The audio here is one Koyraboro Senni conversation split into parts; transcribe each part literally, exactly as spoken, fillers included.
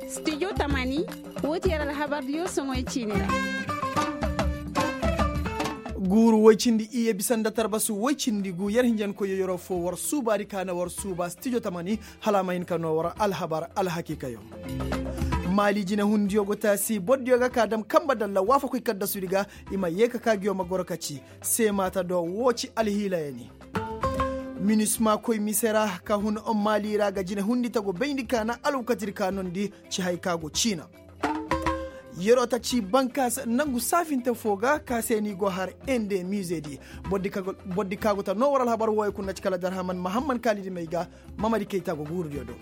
Stijo tamani, woo ti yer alhabardiyo soŋoy ciini ra. Guuru woy cindi iyye bisa nda tarbasu woy cindi gu yer hinjankoyyo yeroo foo war suubaadi ka na war suuba stijo tamani, hala a ma hin ka noo war alhabar alhakiikayo. Maali jinehundiyo go taasi bordiyo ga ka dam kanba dalla waafakoy kaddasudi ga, i ma yee ka kaa ngiyo ma goro ka ci. Seemaata do woo ci alhiilayani. Minisma koy mise ra ka hun maali ra ga jinehundi tago bayndi ka na alwakatidi ka noondi ci hay ka go ciina. Yeroo ta ci bankaas nangu saafinte foo ga ka se ni go har ende miizeedi. Bordi ka go ta noo war alhabar wooyo kuna ci kala darhaman mahamman kaalidi may ga. Mamadi kayta go guurudiyo do.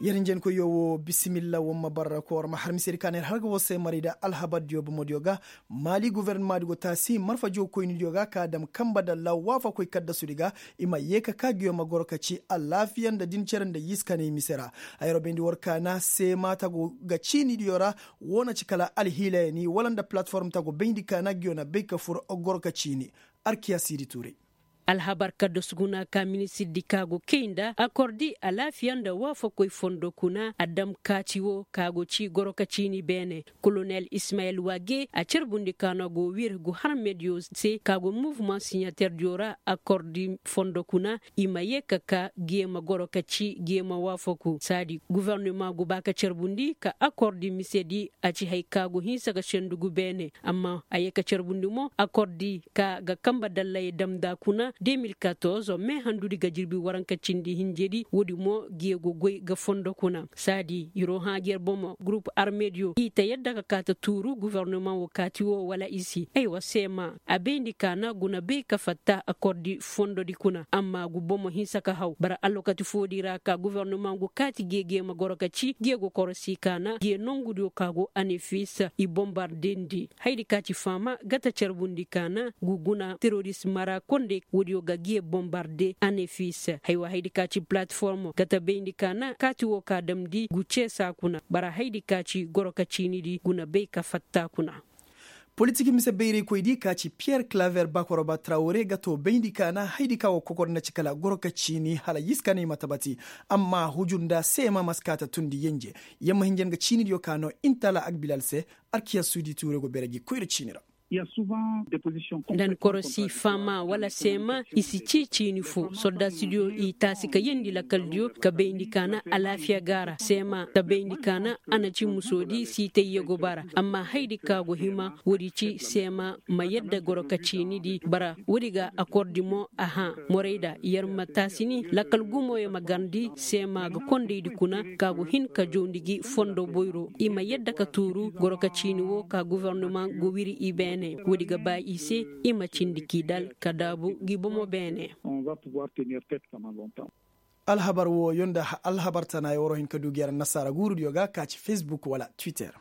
Yer njenkoyyo woo bisimilla war ma barra ka war ma har misedi ka na yer har ga war se maray nda alhabardiyo bomodiyo ga. Maali gofornamaadi go taasi marfa jookoynidiyo ga ka dam kanba dalla waafakoy kaddasudi ga. I ma yee ka kaa ngiyo ma goro ka ci alaafiya nda din cere nda yiskanay mise ra. Hayro bayndi war ka na seema tago ga ciinidiyo ra. Woo na ci kala alhiilayani wala nda palatform tago bayndi ka na ngiyo na bay ka fur goro ka ciini. Arkiya siidi tuuray. Alhabar kaddasu kuna ka ministirdi ka go kay nda akordi alaafiya nda waafakoy fondo kuna a dam kaati woo ka go ci goro ka ciini beene. Kolonel ismayel wage a carbundi ka no go wir gu har mediyo se ka go muvman siɲaterdiyo ra akordi fondo kuna. I ma yee ka kaa ngiyo ma goro ka ci ngiyo ma waafaku saadi gofornoma go ba ka carbundi ka akordi misedi. A ci hay ka go hinsa ga sendugu beene. Amma a yee ka carbundi mo akordi ka ga kanba dallay dam nda kuna de mil katorze me handudi ga jirbi waranka cindi hinjedi woodi mo ngiyo go goy ga fondo kuna saadi yer wo hã ngi yer bomo gurup armediyo i ta yadda ka kaa ta tuuru gofornoma wo kaati wo wala i si aywa seema a bayndi ka na guna bay ka fatta akordi fondodi kuna amma gu bomo hinsa ka haw bara alwakati foodi ra ka gofornoma go kaati ngiyo ngiyo ma goro ka ci ngiyo go korosi ka na ngiyo nongudiyo ka go anefis i bombardendi. Haydi ka ci faama ga ta carbundi ka na gu guna teroris mara kondey woodiyo ga ngiyo bombarde anefis. Haywa haydi ka ci palatformo ga ta bayndi ka na kaati wo ka damndi gu ceesa kuna bara haydi ka ci goro ka ciinidi guna bay ka fatta kuna. Politik mise bayraykoydi ka ci piyer klaver bakoroba trawre ga too bayndi ka na haydi ka go kokor na ci kala goro ka ciini hala yiskanay ma tabati. Amma hujur nda seema ma si kaa ta tundi yenje. Yamma hinjan ga ciinidiyo ka no intala agbilal se. Arkiya suudi tuure go bere gi koyra ciini ra. Nda ni korosi faama wala seema i si cii ciini fo soldaasidiyo i taasi ka yeendi lakaldiyo ka bayndi ka na alaafiya gaara seema ta bayndi ka na a na ci musoodi siitayye go bara amma haydi ka go hima woodi ci seema ma yadda goro ka ciinidi bara woodi ga akordi mo a hã morayda yer ma taasi ni lakal gumoyo ma garndi seema ga kondaydi kuna ka go hin ka jawndi gi fondo boyro i ma yadda ka tuuru goro ka ciini wo ka gofornoma go wiri i beene woodi ga ba i se i ma cindi k'i dal ka daabu ngi bomo beene. Alhabar wooyo nda alhabar tanayo war o hin ka du gi yar annasaara guurudiyo ga ka ci fesbuk wala twitter.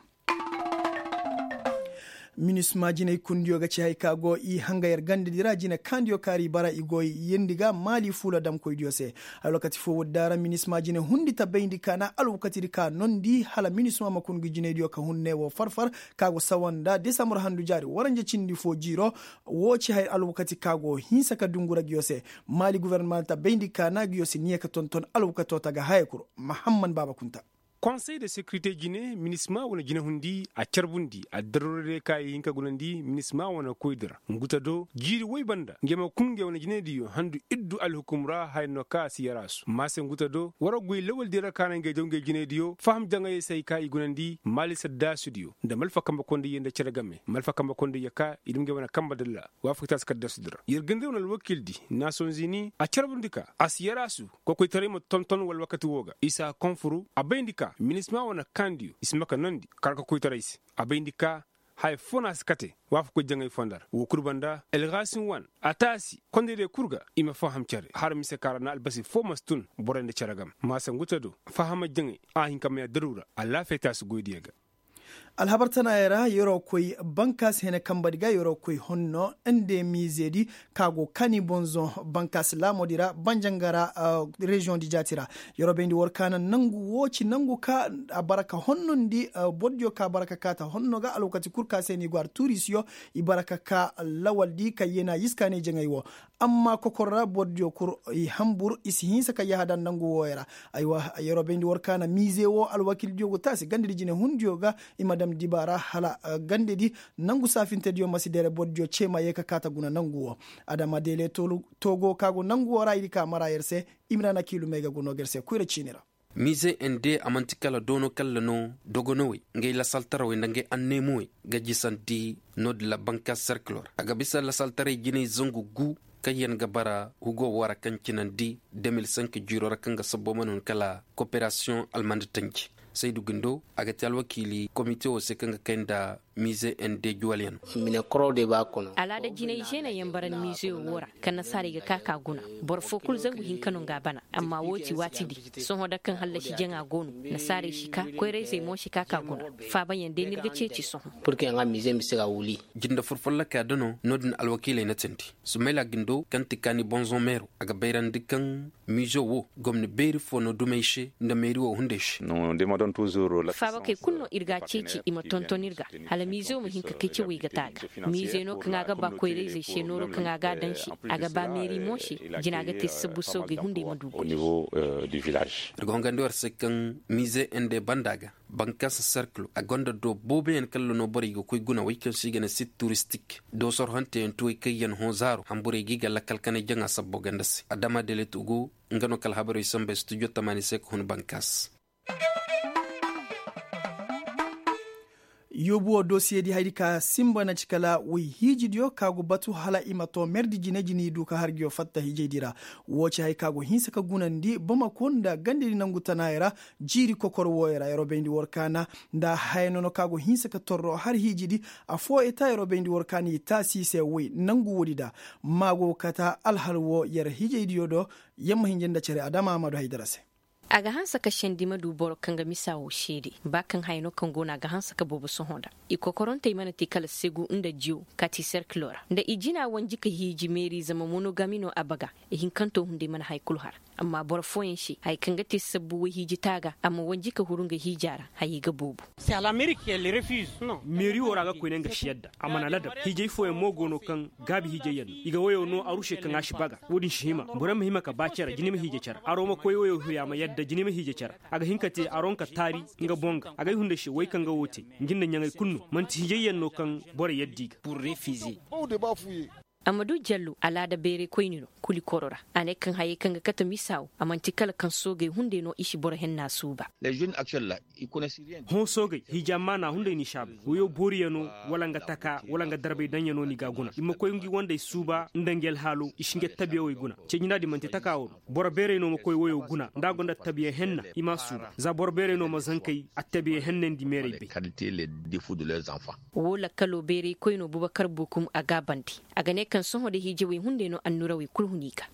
Minisma jinay kundiyo ga ci hay ka go i hanga yer gandadi ra jine kaandiyo kaari bara i go yeendi ga maali fuula damkoydiyo se. Alwakati foo woodi daara minisma jine hundi ta bayndi ka na alwakatidi ka noondi hala minisma ma kun ngi jinaydiyo ka hun ne woo far-far ka go sawa nda desambur handu jaari waranja cindi foo jiiro. Woo ci haya alwakati ka go hinsa ka dungura ngiyo se. Maali gofornoma ta bayndi ka na ngiyo si niya ka tonton alwakatoo ta ga haya kul. Mahamman baaba kunta. Konsey de sekirite jine minisma wane jinehundi a carbundi a daruuradiyo ka i hin ka gunandi minisma wane koydi ra nguta do jiiri woy banda nge ma kun nge wane jinediyo handu iddu alhukum ra haya no ka a si yaraasu maase nguta do war goy lawaldiyo ra ka na nge jaw nge jinediyo faham jaŋayey se hay ka i gunandi maali saddaasudiyo nda malfa kambe kondayye nda cere game malfa kambe kondayye ka i dum nge wane kambe dalla waafaktaasi kaddasudi ra yer ganda wane alwakiildi naasonzini a carbundi ka a si yaraasu kokoytaray ma tonton wala wakati woo ga isa konfuru a bayndi ka minisma wane kaandiyo i si maka noondi kar kokoytaray se a bayndi ka haya foo no a si kate waafakoy jaŋay fonda ra woo kul banda elgasin wan a taasi kondaydiyo kul ga i ma faham cere har mise ka ra na albasi foo ma si tun borey nda cere game maasa nguta do fahama jaŋay a hin ka may a daruura alaafiya taasi goydiyo ga. Alhabar tanaayey ra yeroo koy bankaasi hene kambadi ga yeroo koy honno nde miizeedi ka go kani bonzo bankaasi laamoodi ra banjanga ra. Reziyoŋ di jaati ra yeroo bayndi war ka na nangu woo ci nangu ka a bara ka honnondi. Bordiyo ka bara ka kaata honno ga alwakati kul ka se no i go har tuurisiyo i bara ka ka lawaldi ka yeenaa yiskaanay jaŋay woo. Amma kokor ra bordiyo kul i hanbur i si hinsa ka yahada nangu wooyo ra. Aywa yeroo bayndi war ka na miize woo alwakiildiyo go taasi gandadi jinehundiyo ga i ma dam dibaara hala gandadi nangu saafintediyo ma si dere bordiyo cee ma yee ka kaata guna nangu woo. Adama deele togo ka go nangu woo ra i di ka mara yer se. Imrana kiilumey ga go noo ga yer se koyra ciini ra. Miize ende a man'ti kala doono kalla no dogonowey ngay lasaltarawey nda ngay anneemowey ga jisandi. Noodin ra banka serkiloo ra a ga bisa lasaltaray jinay zangu gu kaŋyaŋ ga bara hugo woo ra kaŋ cinandi de mil sink jiiroo ra kaŋ ga sabbo mana hun kala koperasiyoŋ almanda tanji. Saydu gindo a ga te alwakiili komite woo se kaŋ ga kay nda miize ende juwalyaŋ. Alaada jinay žeenayaŋ bara miize woo ra kaŋ nasaarey ga ka ka guna. Boro foo kul zangu hinka no nga a bana. Amma woo ti waati di sohõ da kaŋ hallasi jaŋa go no. Nasaarey si ka koyra-izey mo si ka ka guna. Faabayaŋ day no ir ga ceeci sohõ. Jinde fur follokaa da no noodin alwakiiley na teendi. Sumayla gindo kaŋ ti kaani bonzoŋ meero a ga bayrandi kaŋ miizo woo gomni beeri foo no dumey se nda meeri woo hunday se. Faabakey kul no ir ga a ceeci i ma tonton ir ga hala miizo ma hin ka kay cawey ga te a ga. Miize no kaŋ a ga ba koyra-izey se nooro kaŋ a ga a daŋ se a ga ba meeri mo se. Jina ga te sabbu soogey hunday ma du goy. Ir ga hongandi war se kaŋ miize ende banda ga bankaasa serkilo a gonda doo booboyaŋ kalla no borey ga koy guna wey kaŋ se i ga ne sit turistik doosor hanteyaŋ tuwey kayyaŋ hõ zaaro hanburey ga i ga lakkal kanay jaŋa sabbo ganda se adama deleto go. Nga no kala habarey samba studio tamaani se ka hun bankaas. Yoobu woo dosiyedi hayadi ka sinba na ci kala woy hiijidiyo ka go batu hala i ma too merdi jine jine i du ka har nguyo fatta hiijaydi ra. Woo ci hay ka go hinsa ka gunandi bamako nda gandedi nangu tanaayey ra. Jiiri kokor wooyey ra yeroo bayndi war kaana nda haya nono ka go hinsa ka torro har hiijidi. Affoo eta yeroo bayndi war kaana i taasi i se woy nangu woodi da. Maa go ga kata alhal woo yer hiijaydiyo do. Yer ma hinja nda cere adama a ma du haydara se. A ga hanse ka sendi ma du boro kaŋ ga misa woo seede ba kaŋ haya no kaŋ go no a ga hanse ka boobo sohõ nda. I kokorantey mana te kala segu nda jiyo kaati serkilo ra nda i jina wanji ka hiiji meeri zama monogami no a baga. Ihinkanto hunday mana haya kulu har. Amma boro fooyaŋ se haya kaŋ ga te sabbu woy hiiji taaga a ma wanji ka huru nga hiija ra hayey ga boobo. Meeri woo ra ga koyne nga si yadda a mana ladab hiijay fooyaŋ mo go no kaŋ gaabi hiijayyaŋ no i ga woyo no aru se kaŋ a si baga. Wo-din si hima boro ma hima ka ba cere jine ma hiija cere aro ma koy woyo hiya ma yadda jine ma hiija cere. A ga hin ka te aron ka taari nga boŋ ga agay hunday se wey kaŋ ga wo te. Ngi nda ɲaŋey kulu no man'ti hijayyaŋ no kaŋ borey yadda i ga. Amadu jallo alaada beeray koyni no kuli koro ra. A ne kaŋ hayey kaŋ ga kate misa wo a man'ti kala kaŋ soogey hunday no i si boro henna suuba. Hõ soogey hija maana hunday n'i si a bay woyo booriyaŋo wala nga taka wala nga darbay daŋyaŋo n'i ga a guna i ma koy ngi wandey suuba nda ngi alhaalo i si ngi attabiyawey guna. Cee-jinaa din man'ti taka wo no. Boro beeray no ma koy woyo guna nda a gonda attabiya henna i m'a suuba za boro beeray no ma zankey attabiya hennandi meeray bay. Woo lakkaloo beeray koynoo bubakar bukum a gaabandi. A ga ne kaŋ sohõ da hiijawey hunday no annurawey kul hun i ga.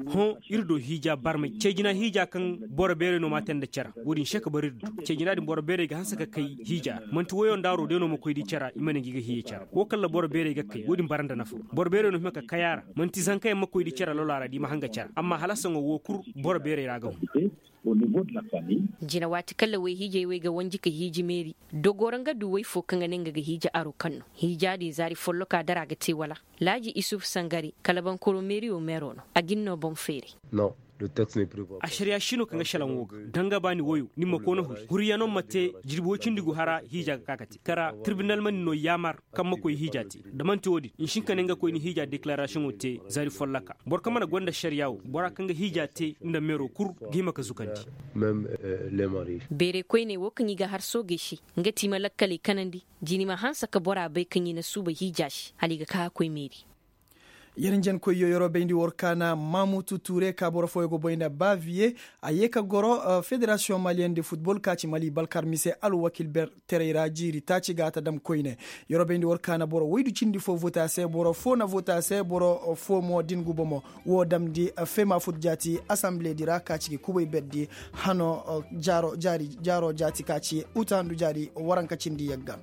Hõ ir do hiija barmay cee-jina hiija kaŋ boro beeray no m'a te nda cere. Wo-din se ka bar ir do cee-jina din boro beeray ga hanse ka kay hiija ra man'ti woyo nda aro day no ma koy di cere i ma ne ngi ga hiijay cere. Wo kaŋ ra boro beeray ga kay wo-din bara nda nafa. Boro beeray no hima ka kay a ra man'ti zankayaŋ ma koy di cere lolaa ra da i ma hanga cere amma hala saŋo woo kul boro beeray ra ga hun. Jina waati kaŋ ra woy hiijay wey ga wanji ka hiiji meeri. Dogoo ra nga du woy foo kaŋ ga ne nga ga hiiji aro kaŋ no hiija din zaari follokaa dara ga te wala? Laaji isuf sangari kala bankoro meeriyo meeroo no a ga ni noo boŋ feeray. Ašariyaa si no kaŋ ga šelaŋ woo ga da nga ba ni woyoo ni ma koona huri huriyaŋo ma te jirbi woy cindi gu hara hiijaa ga ka ka te kara tirbinal ma ni noo yaamar. Kaŋ ma koy hiijaa te da man'ti woo din ni si hin ka ne nga koy ni hiijaa dekilarasiyoŋo te zaari follokaa boro kaŋ mana gonda ašariyaa woo boraa kaŋ ga hiijaa te nda meeroo kul ga hima ka zukandi. Beeray koyney woo kaŋ i ga har soogey se nga ti i ma lakkaley kanandi. Jina i ma hanse ka boraa bay kaŋ i na suuba hiijaa se hala i ga ka ka koy meeri. Yer njenkoyyo yeroo bayndi war kaana maamutu tuure ka boro fooyo go boy nda baviye. A yee ka goro federasiyoŋ maliyeŋ de futbol ka ci mali balkar mise alwakil ber terey ra jiiri taaci ga a ta dam koyne. Yeroo bayndi war kaana boro woydu cindi foo vota se boro foo na vota se boro foo mo din gubo mo. Woo damndi feema fut jaati asanbile di ra ka ci gi kubay berdi hano jaaro jaati ka ci utaandu jaari waranka cindi yagga.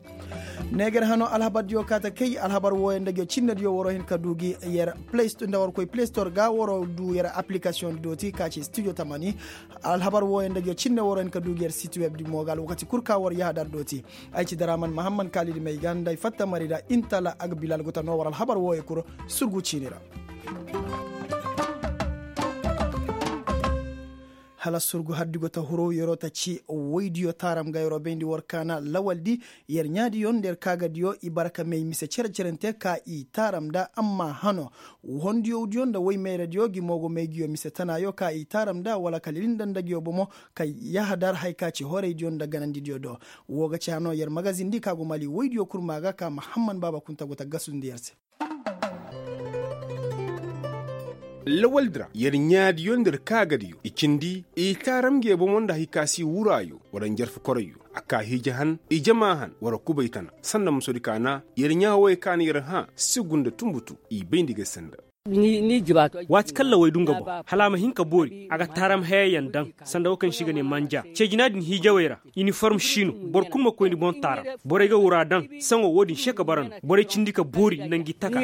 Neegar hano alhabardiyo kaa ta kay alhabar wooyo nda ngiyo cinnediyo waroo hin ka duu gi yer play store nda war koy play store ga waroo duu yer aplikasiyoŋ dooti ka ci studio tamani. Alhabar wooyo nda ngiyo cinne waroo hin ka duu gi yer siti web di mo ga alwakati kul ka war yahadar dooti. Ay ci daraman mahamman kaalidi may ga nda ay fatta mari ra intala agbilal go ta noo war alhabar wooyo kul. Surgu ciini ra. Hala surgu haddi go ta huru yeroo ta ci woydiyo taaram ga yeroo bayndi war kaana lawaldi. Yer ɲaadiyo nda yer kaagadiyo i bara ka may mise cere-cerente ka i taaram nda amma hano. Hondiyowdiyo nda woy mayradiyo gi mo go may ngiyo mise tanaayo ka i taaram nda wala ka lilindanda ngiyo bomo. Ka yahadar haya ka ci horaydiyo nda ganandidiyo do. Woo ga ci hano yer magazindi ka go mali woydiyo kul maa ga ka mahamman baaba kunta go ta gasundi yer se. Lawaldi ra yer ɲaadiyo nda yer kaagadiyo i cindi i taaram nge bomo nda hikasi wuraayo wala njarfu koroyyo. A kaa hiija han i jama han wala kubay tana sanda musodi kaana yer ɲaa wooyo kaana yer hã sigu nda tunbutu. I bayndi ga sanda. Waati kaŋ laway du nga boŋ hala a ma hin ka boori a ga taaram hayayaŋ daŋ. Sanda wo kaŋ se i ga ne manja ceejina din hiijawey ra. Iniform siino boro kulu ma koy ni boŋ taaram. Borey ga wura daŋ saŋo wo-din se ka bara no borey cindi ka boori nda ngi taka.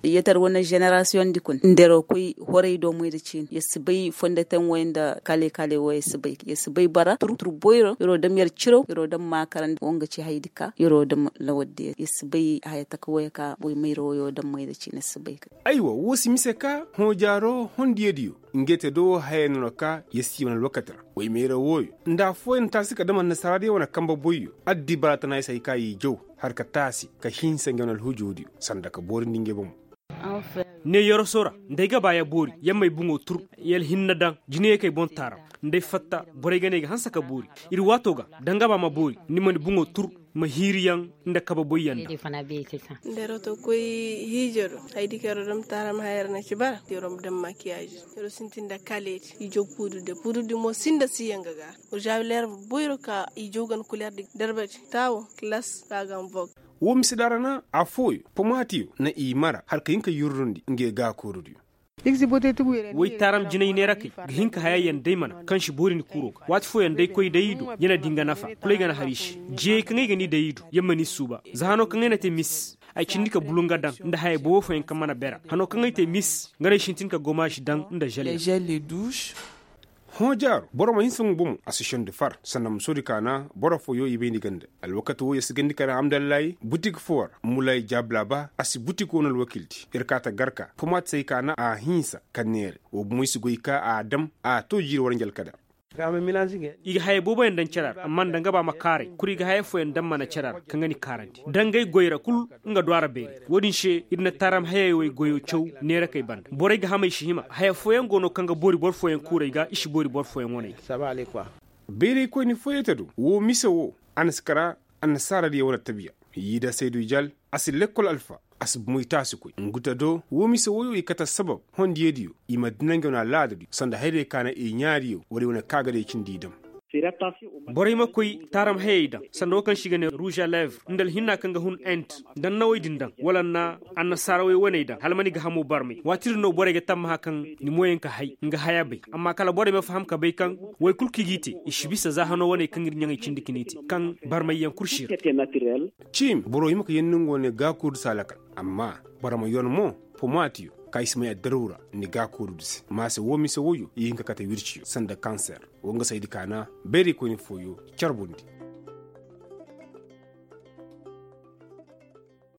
Yetar wane ženerasiyoŋ di kuna nda yeroo koy horay do moy nda ciini yer si bay fondoteŋ wey nda kale kale wey yer si bay bara tur boyro yeroo dam yer ciraw yeroo dam maakarandi wo nga ci hayadi ka yeroo dam lawadde yer si bay haya taka wey ka boy mayra woyo dam moy nda ciini yer si bay. Aywa woo si mise ka hõ jaaro hondiyadiyo. Ngey te do haya nono ka yer si wane alwakati ra. Woy meera wooyo nda affooyaŋ taasi ka dam annasaaraadiyo wane kambe boyyo. Addibaara tana yer se hay ka i jaw har ka taasi ka hinsa ngey wane alhujoodiyo sanda ka boorindi ngey bomo. Ne yoroso ra nda ay ga ba ya boori ya m'ay buŋo tur ya alhinna daŋ jinayey kay boŋ taaram. Nda ay fatta borey ga ne ay ga hanse ka boori ir waato ga da nga ba ma boori ni ma ni buŋo tur. Ma hiiriyaŋ nda kabe boyyaŋ daŋ. Nda yar to koy hiijo do haydi kaŋ yar dam taaram haya yar na ci bara yar ma dam makiyaaji. Yar sintin nda kaleeti i jaw puudu de puudu di mo sinda si yaŋ ga ga. Wala jaawil yar boyro ka i jaw gan kuleer di darbati taawo kilas ka gan bog. Woo mise daara na affooyo pomaatiyo na i mara har ka hin ka yurrundi ngey gaakoorodiyo. Woy taaram jinay neerakey ga hin ka hayayaŋ day mana kaŋ si boori ni kuuro ga waati fooyaŋ day koy day i do ya na di nga nafa kul ay ga na har i se. Jiyey kaŋ ay ga ni day i do ya ma ni suuba za hano kaŋ ay na te mis. Ay cindi ka bulu nga daŋ nda haya boobo fooyaŋ kaŋ mana bera hano kaŋ ay te mis nga no ay sintin ka gomaasi daŋ nda želle. Hõ jaaro boro ma hinsa nga bomo a si sendi far sanda ma soodi kaana boro fooyo i bay ni ganda. Alwakati woo yer si gandi kara amdallahi butik foo ra mulay jaablaba a si butik woo na alwakildi yer kaa ta garka pomaati se ay kaana a hinsa ka neere woo bomo ay si goy ka a dam a too jiiri waranji alkadar. I ga haya booboyaŋ daŋ cere ra amma nda nga ba ma kaaray kul i ga haya fooyaŋ daŋ mana cere ra kaŋ ga ni kaarandi dangay goy ra kul. Nga du a ra beeri woo din se ir na taaram hayey wey goyo caw neerakey banda borey ga hamay si hima haya fooyaŋ go no kaŋ ga boori boro fooyaŋ kuuray ga i si boori boro fooyaŋ waney ga. Bayraykoyni fooyey ta do woo mise woo a na si kara. Annasaaradiyo wane tabiya yiida saydu jal a si lekkol alfa a si moy taasi koy ngu ta do woo mise woyo i kate assabab hondiyadiyo i ma dina ngey wane alaadadiyo sanda hayrey ka na i ɲaariyo wala i wane kaagadiyo cindi i dam. Borey ma koy taaram hayey daŋ sanda woo kaŋ se i ga ne ruuža leevre nda alhinna kaŋ ga hun ent nda annawey din daŋ wala nda annasaarawey waney daŋ hala ma ni ga hamo barmay waati din no borey ga tammaha kaŋ ni mooyaŋ ka hay nga haya bay amma kala borey ma faham ka bay kaŋ woy kul kaŋ i g'i te i si bisa za hano waney kaŋ ir ɲaŋey cindi ka ni te kaŋ barmayyaŋ kul si ir. Ciimi boro hima ka yeendi nga wane gaakoordi se a lakal amma boro ma yoon mo pomaatiyo ka i si may addarawra ni gaakoordi se maase woo mise woyo i hin ka kate wirciyo sanda kanser woo nga saydi kaana bayraykoyni fooyo carbundi.